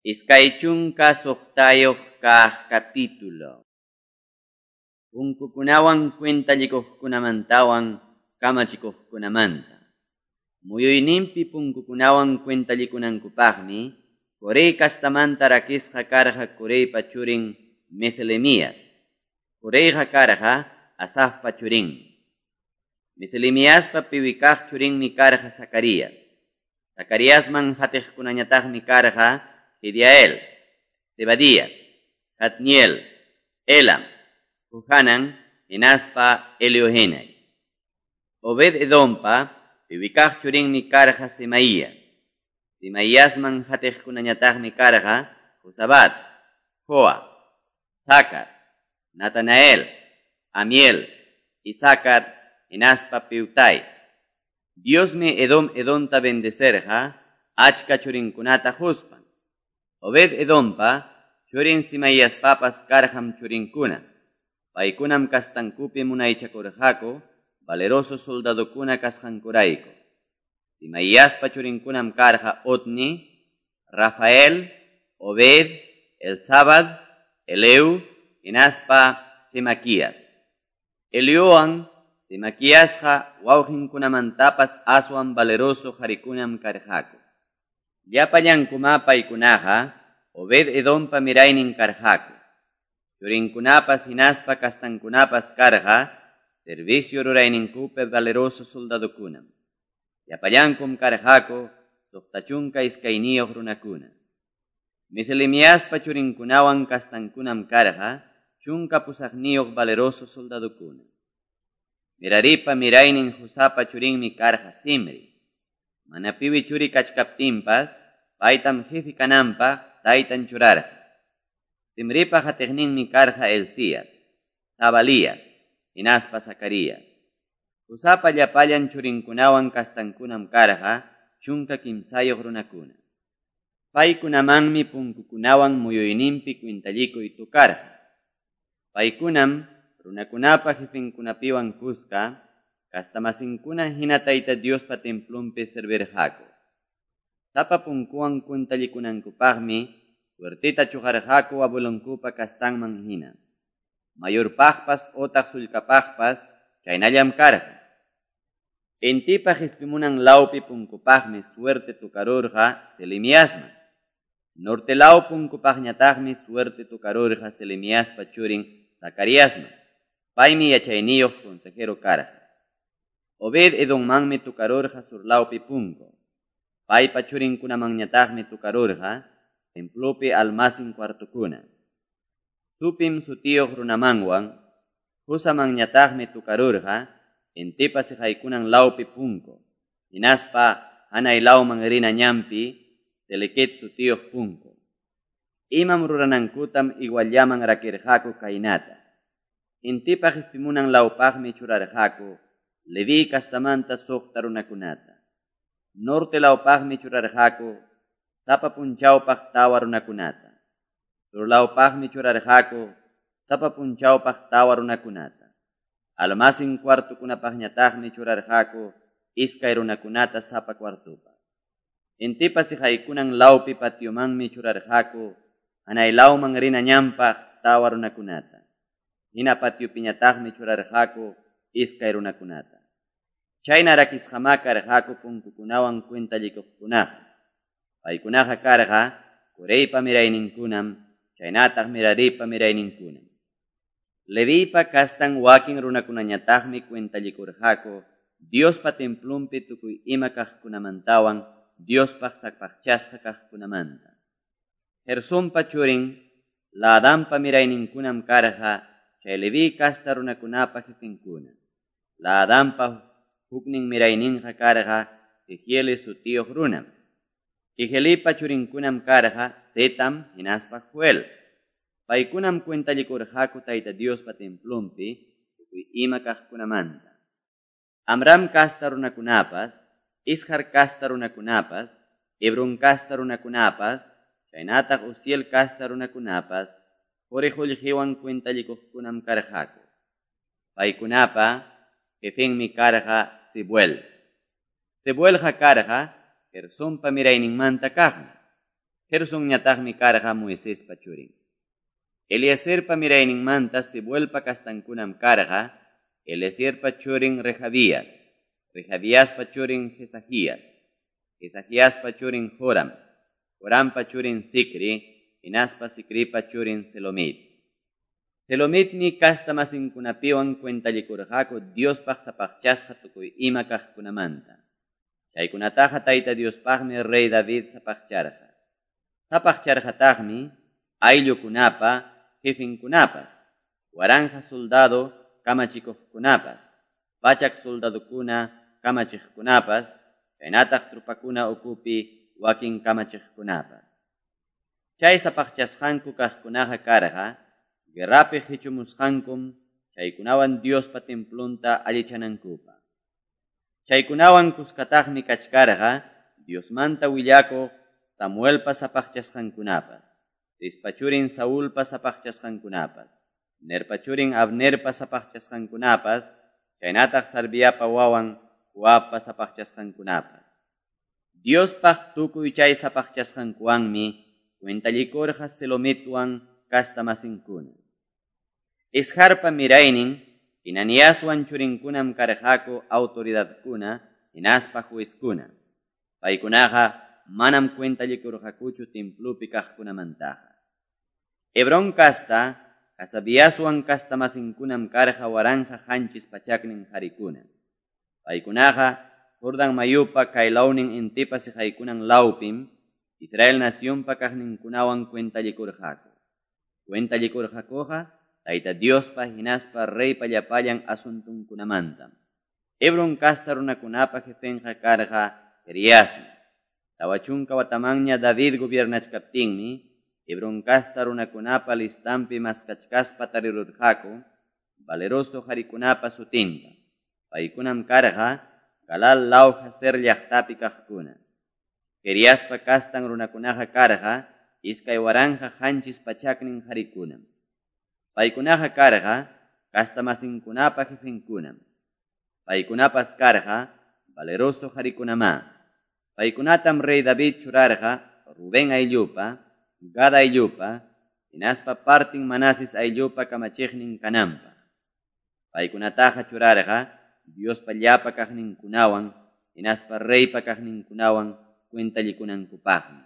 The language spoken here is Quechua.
26 kaq capítulo. Punkukunawan cuentallikuqkunamantawan kamachikuqkunamanta. Muyuyninpi punkukunawan cuentallikunankupaqmi Coré kastamanta rakisqa karqa Coreypa churin Meselemías. Coreyqa karqa Asafpa churinmi. Meselemiaspa piwi kaq churinmi karqa Zacarías. Zacariasman hatiqkunañataqmi karqa Jediael, Zebadías, Jatniel, Elam, Johanan, hinaspa Eliohenai. Obed Edompa piwi kaq churinmi karqa Semaías. Semaiasman hatiqkunañataqmi karqa Jozabad, Joa, Sacar, Natanael, Amiel, Isacar, hinaspa Peutai. Diosmi Edom Edonta bendecerqa achka churinkunata quspan. Obed Edompa churin Semaiaspapas karqam churinkuna. Paykunam kastankupi munaychakurqaku valeroso soldadokuna kasqankurayku. Semaiaspa churinkunam karqa Otni, Rafael, Obed, Elzabad, Eleu, hinaspa Semaquías. Eliowan Semaquiasqa wawqinkunamantapas aswan valeroso qharikunam karqaku. Llapallankumá paykunaqa Obed Edompa miraynin karqaku. Churinkunapas hinaspa kastankunapas karqa servicio rurayninkupi valeroso soldadokunam. Llapallankum karqaku 62 runakuna. Meselemiaspa churinkunawan kastankunam karqa 18 valeroso soldadokuna. Meraripa miraynin Jusapa churinmi karqa Simri. Mana piwi churi kachkaptinpas, paytam jefe kananpaq taytan churarqa. Simripa hatiqninmi karqa Elías, Zabalías, hinaspa Zacarías. Jusapa llapallan churinkunawan kastankunam karqa 13 runakuna. Paykunamanmi punkukunawan muyuyninpi cuentallikuy tukarqa. Paykunam runakunapa jefenkunapiwan kuska, kastamasinkuna hina Tayta Diospa templonpi servirqaku. Sapa punkuwan cuentallikunankupaqmi suerteta chuqarqaku abuelonkupa kastanman hina. Mayorpaqpas otaq sullkapaqpas chaynallam karqa. Intipa qispimunan lawpi punkupaqmi suerte tukarurqa Selemiasman. Norte law punkupaqñataqmi suerte tukarurqa Selemiaspa churin Zacariasman. Paymi yachayniyuq consejero karqa. Obed Edommanmi tukarurqa surlawpi punku. Paypa churinkunamanñataqmi tukarurqa templopi almacén cuartukuna. Supim sutiyuq runamanwan Husamanñataqmi tukarurqa intipa siqaykunan lawpi punku. Hinaspa hanay lawman rina ñanpi Selequet sutiyuq punku. Imam ruranankutam iguallaman rakirqaku kaynata. Intipa qispimunan lawpaqmi churarqaku Leví kastamanta 6 runakunata. Norte lawpaqmi churarqaku sapa punchawpaq 4 runakunata. Sur lawpaqmi churarqaku sapa punchawpaq 4 runakunata. Almacén cuartukunapaqñataqmi churarqaku 2 runakunata sapa cuartupaq. Intipa siqaykunan lawpi patiomanmi churarqaku hanay lawman rina ñanpaq 4 runakunata. Hina patiopiñataqmi churarqaku 2 runakunata. Chayna rakisqamá karqaku punkukunawan cuentallikuqkunaqa. Paykunaqa karqa Coreypa mirayninkunam, chaynataq Meraripa mirayninkunam. Levipa kastan wakin runakunañataqmi cuentallikurqaku Diospa templonpi tukuy ima kaqkunamantawan Diospaq sapaqchasqa kaqkunamanta. Gersonpa churin Laadampa mirayninkunam karqa chay Leví kasta runakunapa jefenkuna. Laadampa huknin mirayninqa karqa Jehiel sutiyuq runam. Jehielipa churinkunam karqa Zetam hinaspa Joel. Paykunam cuentallikurqaku Tayta Diospa templonpi tukuy ima kaqkunamanta. Amram kasta runakunapas, Ishar kasta runakunapas, Hebron kasta runakunapas, chaynataq Uziel kasta runakunapas, quri qullqiwan cuentallikuqkunam karqaku. Paykunapa jefenmi karqa Sebuel. Sebuelqa karqa Gersonpa mirayninmanta kaqmi. Gersonñataqmi karqa Moisespa churin. Eliezerpa mirayninmanta Sebuelpa castankunam karqa Eliezerpa churin Rehabías, Rehabiaspa churin Jesajías, Jesajiaspa churin Joram, Jorampa churin Zicri, hinaspa Zicripa churin Selomit. Selomitmi casta masinkunapiwan cuentallikurqaku Diospaq sapaqchasqa tukuy ima kaqkunamanta. Chaykunataqa Tayta Diospaqmi rey David sapaqcharqa. Sapaqcharqataqmi ayllukunapa, jefinkunapas, waranja soldado kamachikuqkunapas, pachak soldadokuna kamachiqkunapas, chaynataq trupakuna ukupi wakin kamachiqkunapas. Chay sapaqchasqanku kaqkunaqa karqa, guerrapi qichumusqankum chaykunawan Diospa templonta allichanankupaq. Chaykunawan kuskataqmi kachkarqa Diosmanta willakuq Samuelpa sapaqchasqankunapas, Cispa churin Saulpa sapaqchasqankunapas, Nerpa churin Abnerpa sapaqchasqankunapas, chaynataq Sarviapa wawan Joabpa sapaqchasqankunapas. Diospaq tukuy chay sapaqchasqankuwanmi cuentallikurqa Selomitwan casta masinkuna. Isharpa miraynin Hinaniaswan churinkunam karqaku autoridadkuna hinaspa juezkuna. Paykunaqa manam cuentallikurqakuchu templopi kaqkunamantaqa. Hebrón casta, Hasabiaswan casta masinkunam karqa 1700 qarikuna. Paykunaqa Jordan mayupa kaylawnin intipa siqaykunan lawpim Israel nacionpa kaqninkunawan cuentallikurqaku. Cuentallikurqakuqa Tayta Diospa hinaspa reypa llapallan asuntunkunamantam. Hebrón casta runakunapa jefenqa karqa Jeriasmi. 40 watamanña David gobiernachkaptinmi Hebrón casta runakunapa listampi maskachkaspa tarirurqaku valeroso qarikunapa sutinta. Paykunam karqa Galal law Jazer llaqtapi kaqkuna. Jeriaspa kastan runakunaqa karqa 2700 qarikunam. Paykunaqa karqa casta masinkunapa jefenkunam. Paykunapas karqa valeroso qarikunamá. Paykunatam rey David churarqa Rubén ayllupa, Gad ayllupa, hinaspa partin Manases ayllupa kamachiqnin kananpaq. Paykunataqa churarqa Diospa llapa kaqninkunawan, hinaspa reypa kaqninkunawan cuentallikunankupaqmi.